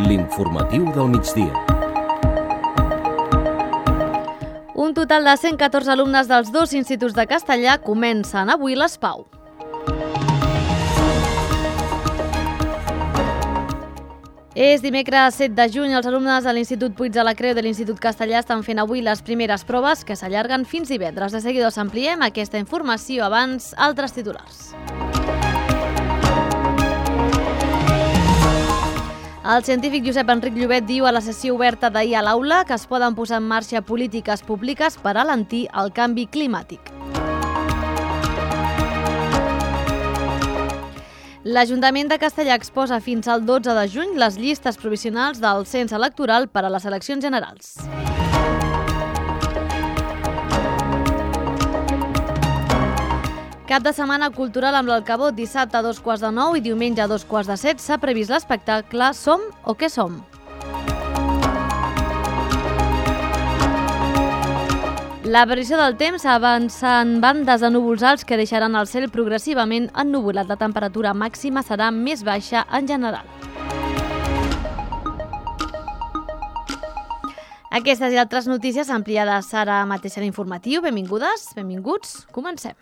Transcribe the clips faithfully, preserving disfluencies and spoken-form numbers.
L'informatiu del migdia. Un total de cent catorze alumnes dels dos instituts de castellà comencen avui l'ESPAU. És dimecres set de juny. Els alumnes de l'Institut Puig de la Creu de l'Institut Castellà estan fent avui les primeres proves que s'allarguen fins divendres. De seguida us ampliem aquesta informació, abans altres titulars. El científic Josep Enric Llobet diu a la sessió oberta d'ahir a l'aula que es poden posar en marxa polítiques públiques per alentir el canvi climàtic. L'Ajuntament de Castellà exposa fins al dotze de juny les llistes provisionals del cens electoral per a les eleccions generals. Cap de setmana cultural amb l'Alcabot, dissabte a dos quarts de nou i diumenge a dos quarts de set s'ha previst l'espectacle Som o què som? La previsió del temps avança en bandes de núvols alts que deixaran el cel progressivament ennuvolat. La temperatura màxima serà més baixa en general. Aquestes i altres notícies ampliades ara mateix a l'informatiu. Benvingudes, benvinguts, comencem.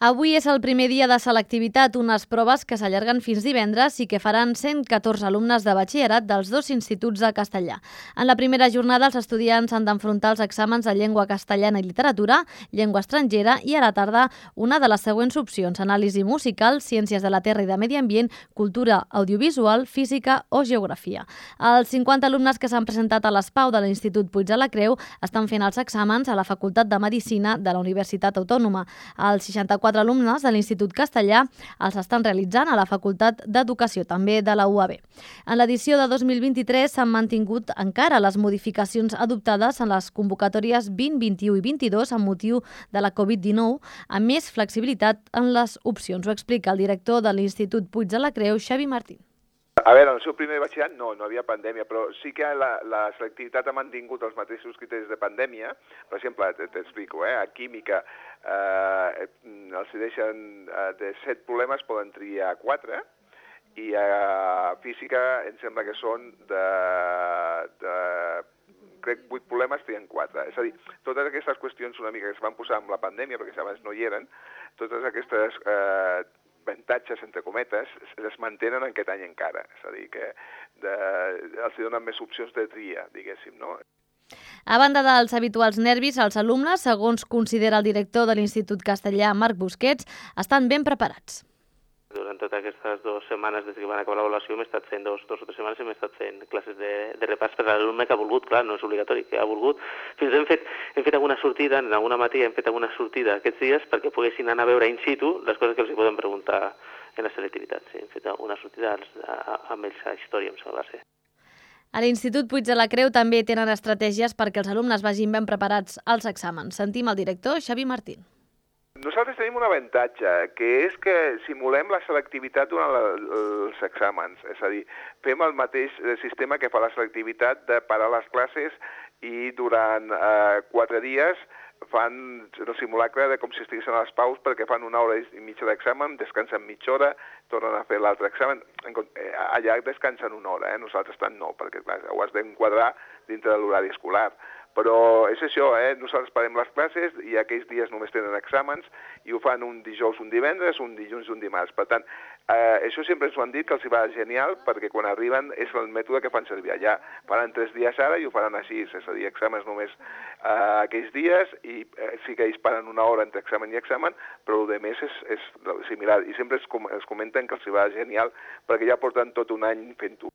Avui és el primer dia de selectivitat, unes proves que s'allarguen fins divendres i que faran cent catorze alumnes de batxillerat dels dos instituts de castellà. En la primera jornada, els estudiants han d'enfrontar els exàmens de llengua castellana i literatura, llengua estrangera i a la tarda una de les següents opcions: anàlisi musical, ciències de la terra i de medi ambient, cultura audiovisual, física o geografia. Els cinquanta alumnes que s'han presentat a l'ESPAU de l'Institut Puig de la Creu estan fent els exàmens a la Facultat de Medicina de la Universitat Autònoma. Els seixanta-quatre alumnes de l'Institut Castellà els estan realitzant a la Facultat d'Educació, també de la U A B. En l'edició de dos mil vint-i-tres s'han mantingut encara les modificacions adoptades en les convocatòries vint, vint-i-u i vint-i-dos amb motiu de la covid dinou, amb més flexibilitat en les opcions. Ho explica el director de l'Institut Puig de la Creu, Xavi Martín. A veure, en el seu primer batxillerat no, no havia pandèmia, però sí que la, la selectivitat ha mantingut els mateixos criteris de pandèmia. Per exemple, t'explico, eh? A química eh, els deixen eh, de set problemes, poden triar quatre, i a física em sembla que són de, de crec, vuit problemes, trien quatre. És a dir, totes aquestes qüestions una mica que es van posar amb la pandèmia, perquè abans no hi eren, totes aquestes eh, avantatges, entre cometes, es mantenen aquest any encara. És a dir, que de, els donen més opcions de tria, diguéssim, no? A banda dels habituals nervis, els alumnes, segons considera el director de l'Institut Castellà, Marc Busquets, estan ben preparats. Durant totes aquestes dues setmanes, des que van acabar l'avaluació, hem estat fent dos, dos o tres setmanes, hem estat fent classes de, de repàs per a l'alumne que ha volgut, clar, no és obligatori, que ha volgut. Fins hem fet, hem fet alguna sortida, en alguna matí hem fet alguna sortida aquests dies perquè poguessin anar a veure in situ les coses que els hi poden preguntar en la selectivitat. Sí, hem fet una sortida amb ells a història, em sembla ser. A l'Institut Puig de la Creu també tenen estratègies perquè els alumnes vagin ben preparats als exàmens. Sentim el director, Xavi Martín. Nosaltres tenim un avantatge, que és que simulem la selectivitat durant la, els exàmens. És a dir, fem el mateix sistema que fa la selectivitat de parar les classes i durant eh, quatre dies fan el simulacre de com si estiguessin a les paus, perquè fan una hora i mitja d'examen, descansen mitja hora, tornen a fer l'altre examen. Allà descansen una hora, eh? Nosaltres tant no, perquè clar, ho has d'enquadrar dintre de l'horari escolar. Però és això, eh? Nosaltres parem les classes i aquells dies només tenen exàmens i ho fan un dijous, un divendres, un dilluns i un dimarts. Per tant, eh, això sempre ens ho han dit que els hi va genial perquè quan arriben és el mètode que fan servir allà. Faran tres dies ara i ho faran així, és a dir, exàmens només eh, aquells dies i eh, sí que ells paren una hora entre examen i examen, però el de més és, és similar. I sempre es, com, es comenten que els hi va genial perquè ja porten tot un any fent-ho.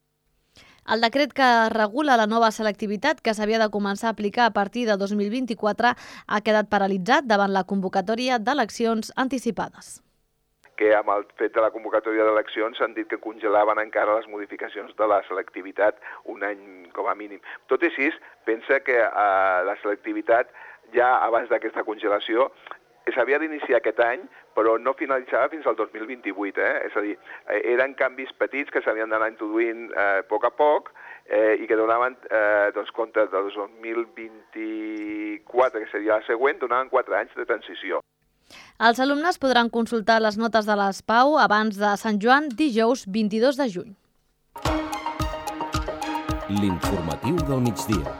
El decret que regula la nova selectivitat, que s'havia de començar a aplicar a partir de dos mil vint-i-quatre, ha quedat paralitzat davant la convocatòria d'eleccions anticipades. Que amb el fet de la convocatòria d'eleccions s'han dit que congelaven encara les modificacions de la selectivitat un any com a mínim. Tot i així, pensa que eh, la selectivitat ja abans d'aquesta congelació s'havia d'iniciar aquest any, però no finalitzava fins al dos mil vint-i-vuit. Eh? És a dir, eren canvis petits que s'havien d'anar introduint eh, a poc a poc eh, i que donaven eh, doncs, compte del dos mil vint-i-quatre, que seria la següent, donaven quatre anys de transició. Els alumnes podran consultar les notes de les Pau abans de Sant Joan, dijous vint-i-dos de juny. L'informatiu del migdia.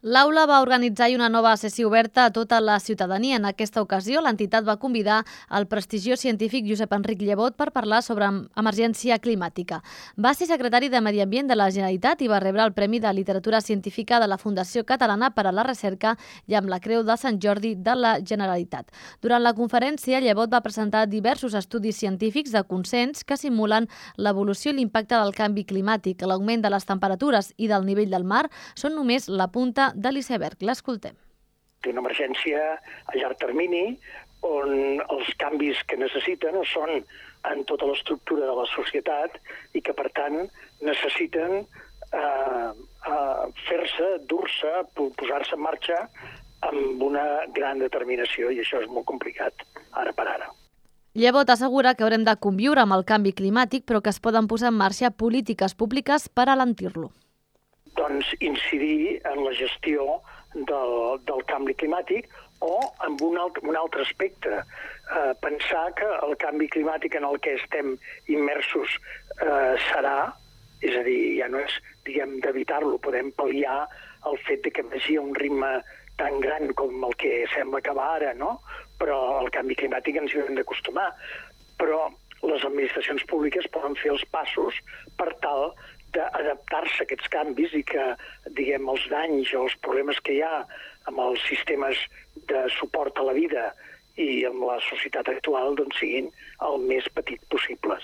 L'Aula va organitzar una nova sessió oberta a tota la ciutadania. En aquesta ocasió, l'entitat va convidar el prestigiós científic Josep Enric Llebot per parlar sobre emergència climàtica. Va ser secretari de Medi Ambient de la Generalitat i va rebre el Premi de Literatura Científica de la Fundació Catalana per a la Recerca i amb la Creu de Sant Jordi de la Generalitat. Durant la conferència, Llebot va presentar diversos estudis científics de consens que simulen l'evolució i l'impacte del canvi climàtic. L'augment de les temperatures i del nivell del mar són només la punta de l'iceberg. L'escoltem. Una emergència a llarg termini on els canvis que necessiten són en tota l'estructura de la societat i que, per tant, necessiten eh, eh, fer-se, dur-se, posar-se en marxa amb una gran determinació, i això és molt complicat ara per ara. Llebot assegura que haurem de conviure amb el canvi climàtic, però que es poden posar en marxa polítiques públiques per alentir-lo. Doncs incidir en la gestió del, del canvi climàtic o en un altre, un altre aspecte. Eh, pensar que el canvi climàtic en el que estem immersos eh, serà, és a dir, ja no és, diguem, d'evitar-lo, podem pal·liar el fet de que vagi a un ritme tan gran com el que sembla que va ara, no? Però el canvi climàtic ens hi hem d'acostumar. Però les administracions públiques poden fer els passos per tal d'adaptar-se a aquests canvis i que, diguem, els danys o els problemes que hi ha amb els sistemes de suport a la vida i amb la societat actual doncs siguin el més petit possibles.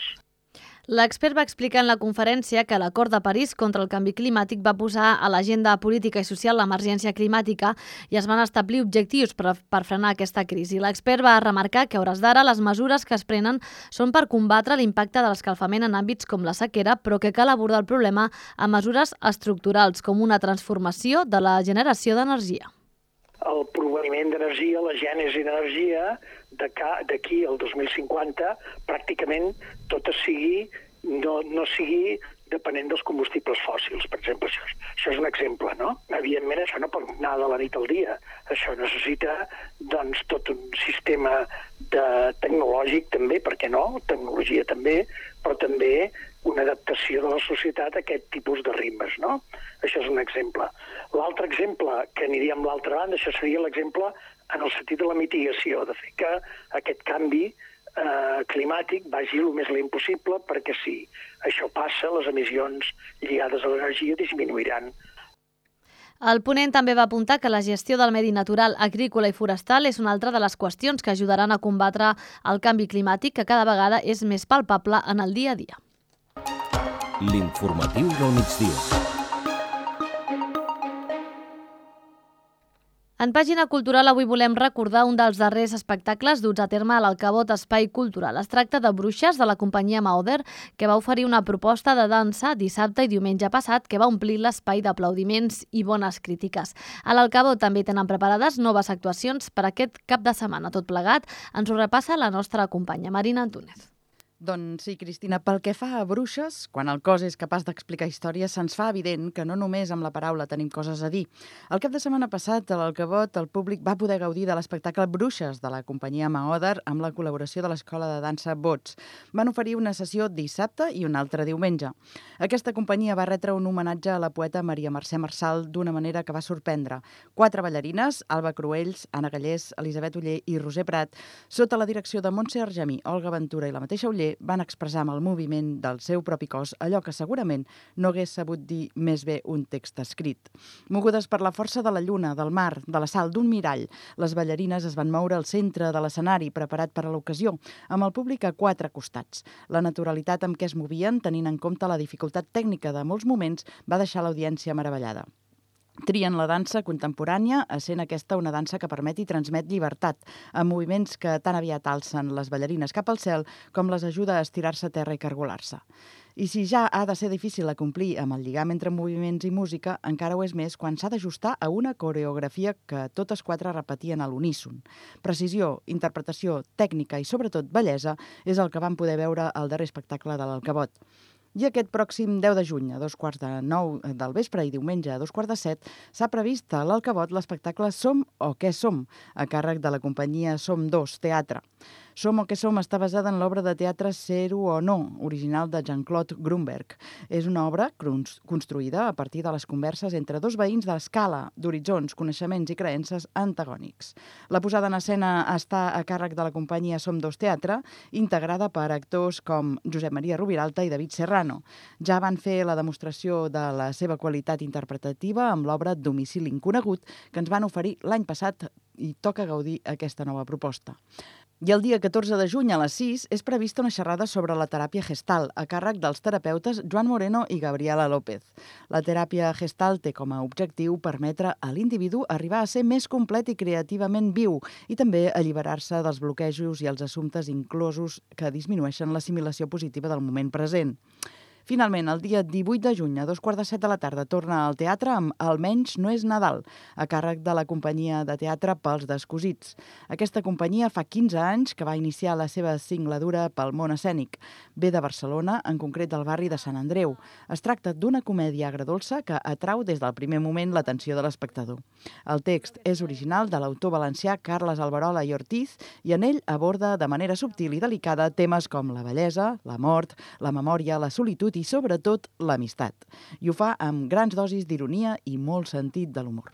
L'expert va explicar en la conferència que l'Acord de París contra el canvi climàtic va posar a l'agenda política i social l'emergència climàtica i es van establir objectius per, per frenar aquesta crisi. L'expert va remarcar que a hores d'ara les mesures que es prenen són per combatre l'impacte de l'escalfament en àmbits com la sequera, però que cal abordar el problema amb mesures estructurals, com una transformació de la generació d'energia. El proveniment d'energia, la gènesi d'energia, d'aquí al dos mil cinquanta, pràcticament tot sigui, no, no sigui depenent dels combustibles fòssils, per exemple. Això, això és un exemple, no? Evidentment, això no pot anar de la nit al dia. Això necessita, doncs, tot un sistema de tecnològic també, per què no? Tecnologia també, però també una adaptació de la societat a aquest tipus de ritmes, no? Això és un exemple. L'altre exemple, que aniria amb l'altra banda, això seria l'exemple en el sentit de la mitigació, de fer que aquest canvi eh, climàtic vagi el més lent possible, perquè si això passa, les emissions lligades a l'energia disminuiran. El ponent també va apuntar que la gestió del medi natural, agrícola i forestal és una altra de les qüestions que ajudaran a combatre el canvi climàtic, que cada vegada és més palpable en el dia a dia. L'informatiu del migdia. En pàgina cultural avui volem recordar un dels darrers espectacles duts a terme a l'Alcabot Espai Cultural. Es tracta de Bruixes, de la companyia Maoder, que va oferir una proposta de dansa dissabte i diumenge passat que va omplir l'espai d'aplaudiments i bones crítiques. A l'Alcabot també tenen preparades noves actuacions per aquest cap de setmana. Tot plegat ens ho repassa la nostra companya Marina Antúnez. Doncs sí, Cristina, pel que fa a Bruixes, quan el cos és capaç d'explicar històries, se'ns fa evident que no només amb la paraula tenim coses a dir. El cap de setmana passat, a l'Alcabot, el públic va poder gaudir de l'espectacle Bruixes de la companyia Maoder amb la col·laboració de l'Escola de Dansa Bots. Van oferir una sessió dissabte i una altra diumenge. Aquesta companyia va retre un homenatge a la poeta Maria Mercè Marçal d'una manera que va sorprendre. Quatre ballarines, Alba Cruells, Anna Gallés, Elisabet Oller i Roser Prat, sota la direcció de Montse Argemí, Olga Ventura i la mateixa Oller, van expressar amb el moviment del seu propi cos allò que segurament no hagués sabut dir més bé un text escrit. Mogudes per la força de la lluna, del mar, de la sal d'un mirall, les ballarines es van moure al centre de l'escenari preparat per a l'ocasió, amb el públic a quatre costats. La naturalitat amb què es movien, tenint en compte la dificultat tècnica de molts moments, va deixar l'audiència meravellada. Trien la dansa contemporània, essent aquesta una dansa que permet i transmet llibertat, amb moviments que tan aviat alcen les ballarines cap al cel com les ajuda a estirar-se a terra i cargolar-se. I si ja ha de ser difícil acomplir amb el lligam entre moviments i música, encara ho és més quan s'ha d'ajustar a una coreografia que totes quatre repetien a l'uníson. Precisió, interpretació, tècnica i sobretot bellesa és el que vam poder veure al darrer espectacle de l'Alcabot. I aquest pròxim deu de juny, a dos quarts de nou del vespre i diumenge a dos quarts de set, s'ha previst a l'Alcavot l'espectacle Som o què som, a càrrec de la companyia Som dos Teatre. Som o què som està basada en l'obra de teatre Ser-ho o no, original de Jean-Claude Grunberg. És una obra construïda a partir de les converses entre dos veïns d'escala, d'horitzons, coneixements i creences antagònics. La posada en escena està a càrrec de la companyia Som dos Teatre, integrada per actors com Josep Maria Rubiralta i David Serrano. Ja van fer la demostració de la seva qualitat interpretativa amb l'obra Domicili inconegut, que ens van oferir l'any passat i toca gaudir aquesta nova proposta. I el dia catorze de juny a les sis és prevista una xerrada sobre la teràpia Gestalt a càrrec dels terapeutes Joan Moreno i Gabriela López. La teràpia Gestalt té com a objectiu permetre a l'individu arribar a ser més complet i creativament viu i també alliberar-se dels bloquejos i els assumptes inclosos que disminueixen l'assimilació positiva del moment present. Finalment, el dia divuit de juny, a dos quarts de set de la tarda, torna al teatre amb Almenys no és Nadal, a càrrec de la companyia de teatre Pels Descosits. Aquesta companyia fa quinze anys que va iniciar la seva singladura pel món escènic. Ve de Barcelona, en concret del barri de Sant Andreu. Es tracta d'una comèdia agredolça que atrau des del primer moment l'atenció de l'espectador. El text és original de l'autor valencià Carles Alberola i Ortiz i en ell aborda de manera subtil i delicada temes com la bellesa, la mort, la memòria, la solitud i, sobretot, l'amistat. I ho fa amb grans dosis d'ironia i molt sentit de l'humor.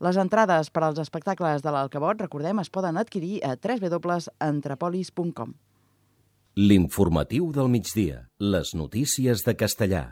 Les entrades per als espectacles de l'Alcavot, recordem, es poden adquirir a w w w punt entrepolis punt com. L'informatiu del migdia. Les notícies de Castellà.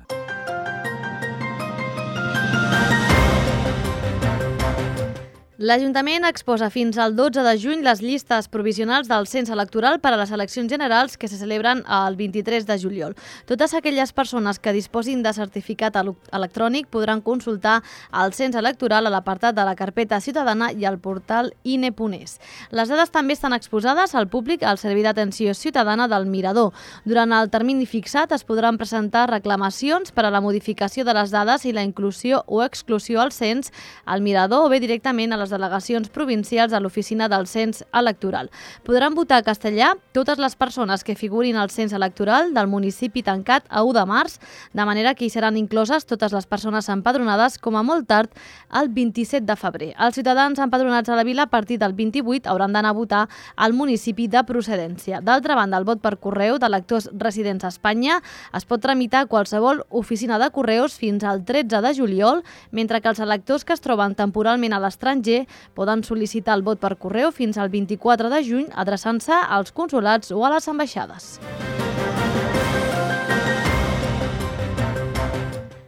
L'Ajuntament exposa fins al dotze de juny les llistes provisionals del cens electoral per a les eleccions generals que se celebren el vint-i-tres de juliol. Totes aquelles persones que disposin de certificat electrònic podran consultar el cens electoral a l'apartat de la carpeta ciutadana i al portal i n e punt es. Les dades també estan exposades al públic al Servei d'Atenció Ciutadana del Mirador. Durant el termini fixat es podran presentar reclamacions per a la modificació de les dades i la inclusió o exclusió al cens al Mirador o bé directament a les delegacions provincials a l'oficina del cens electoral. Podran votar a castellà totes les persones que figurin al cens electoral del municipi tancat a u de març, de manera que hi seran incloses totes les persones empadronades com a molt tard el vint-i-set de febrer. Els ciutadans empadronats a la vila a partir del vint-i-vuit hauran d'anar a votar al municipi de procedència. D'altra banda, el vot per correu d'electors residents a Espanya es pot tramitar a qualsevol oficina de correus fins al tretze de juliol, mentre que els electors que es troben temporalment a l'estranger poden sol·licitar el vot per correu fins al vint-i-quatre de juny adreçant-se als consolats o a les ambaixades.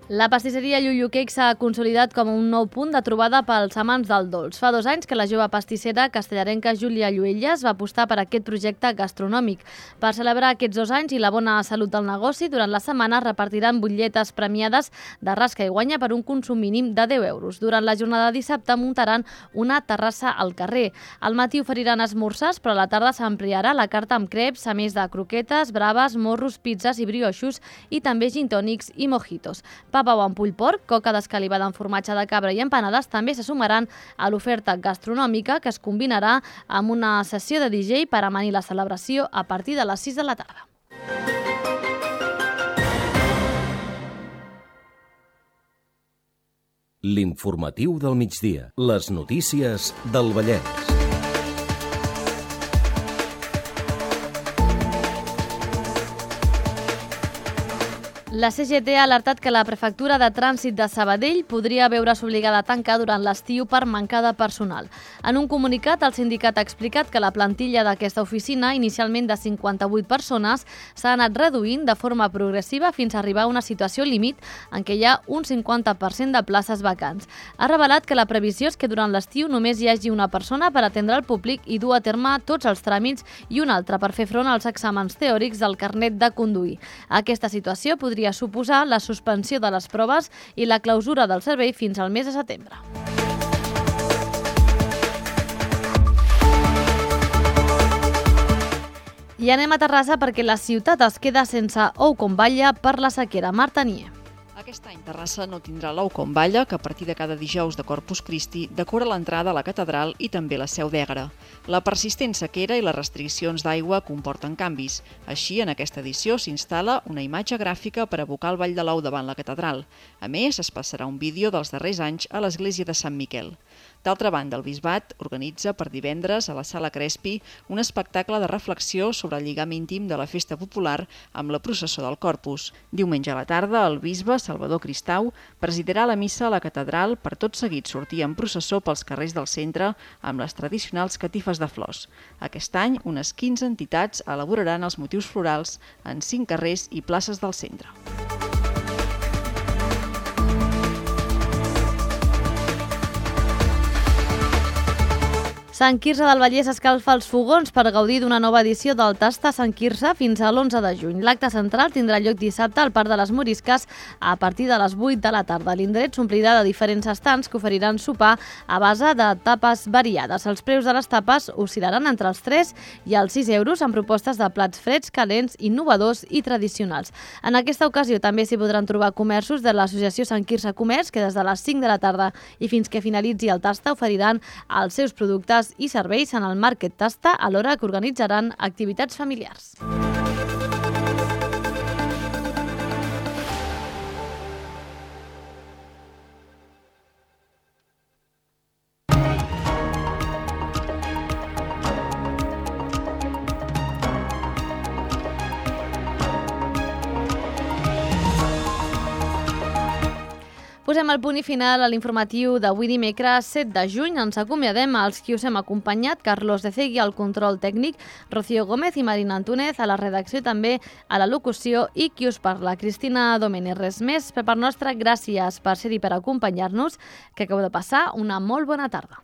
La pastisseria Llullo Cake s'ha consolidat com un nou punt de trobada pels amants del dolç. Fa dos anys que la jove pastissera castellarenca Júlia Lluelles va apostar per aquest projecte gastronòmic. Per celebrar aquests dos anys i la bona salut del negoci, durant la setmana repartiran butlletes premiades de rasca i guanya per un consum mínim de deu euros. Durant la jornada de dissabte muntaran una terrassa al carrer. Al matí oferiran esmorzars, però a la tarda s'ampliarà la carta amb creps, a més de croquetes, braves, morros, pizzas i brioixos i també gintònics i mojitos. Papa amb pull porc, coca d'escalivada amb formatge de cabra i empanades també se sumaran a l'oferta gastronòmica que es combinarà amb una sessió de D J per amanir la celebració a partir de les sis de la tarda. L'informatiu del migdia. Les notícies del Vallès. La C G T ha alertat que la prefectura de trànsit de Sabadell podria veure's obligada a tancar durant l'estiu per manca de personal. En un comunicat, el sindicat ha explicat que la plantilla d'aquesta oficina, inicialment de cinquanta-vuit persones, s'ha anat reduint de forma progressiva fins a arribar a una situació límit en què hi ha un cinquanta per cent de places vacants. Ha revelat que la previsió és que durant l'estiu només hi hagi una persona per atendre el públic i dur a terme tots els tràmits i una altra per fer front als exàmens teòrics del carnet de conduir. Aquesta situació podria suposar la suspensió de les proves i la clausura del servei fins al mes de setembre. I anem a Terrassa perquè la ciutat es queda sense ou con batlle per la sequera. Marta Nie. A Aquest any Terrassa no tindrà l'ou com balla, que a partir de cada dijous de Corpus Christi decora l'entrada a la catedral i també la seu d'Ègara. La persistent sequera i les restriccions d'aigua comporten canvis. Així, en aquesta edició s'instal·la una imatge gràfica per evocar el ball de l'ou davant la catedral. A més, es passarà un vídeo dels darrers anys a l'església de Sant Miquel. D'altra banda, el Bisbat organitza per divendres a la Sala Crespi un espectacle de reflexió sobre el lligam íntim de la festa popular amb la processó del Corpus. Diumenge a la tarda, el bisbe Salvador Cristau presidirà la missa a la catedral per tot seguit sortir en processó pels carrers del centre amb les tradicionals catifes de flors. Aquest any, unes quinze entitats elaboraran els motius florals en cinc carrers i places del centre. Sant Quirze del Vallès escalfa els fogons per gaudir d'una nova edició del Tasta Sant Quirze fins a l'onze de juny. L'acte central tindrà lloc dissabte al Parc de les Morisques a partir de les vuit de la tarda. L'indret s'omplirà de diferents estants que oferiran sopar a base de tapes variades. Els preus de les tapes oscil·laran entre els tres i els sis euros amb propostes de plats freds, calents, innovadors i tradicionals. En aquesta ocasió també s'hi podran trobar comerços de l'Associació Sant Quirze Comerç que des de les cinc de la tarda i fins que finalitzi el Tasta oferiran els seus productes i serveis en el Market Tasta, alhora que organitzaran activitats familiars. Posem el punt i final a l'informatiu d'avui dimecres set de juny. Ens acomiadem als qui us hem acompanyat, Carlos de Cegui al control tècnic, Rocío Gómez i Marina Antúnez a la redacció, també a la locució, i qui us parla, Cristina Domènech. Res més per part nostra, gràcies per ser-hi, per acompanyar-nos, que acabeu de passar una molt bona tarda.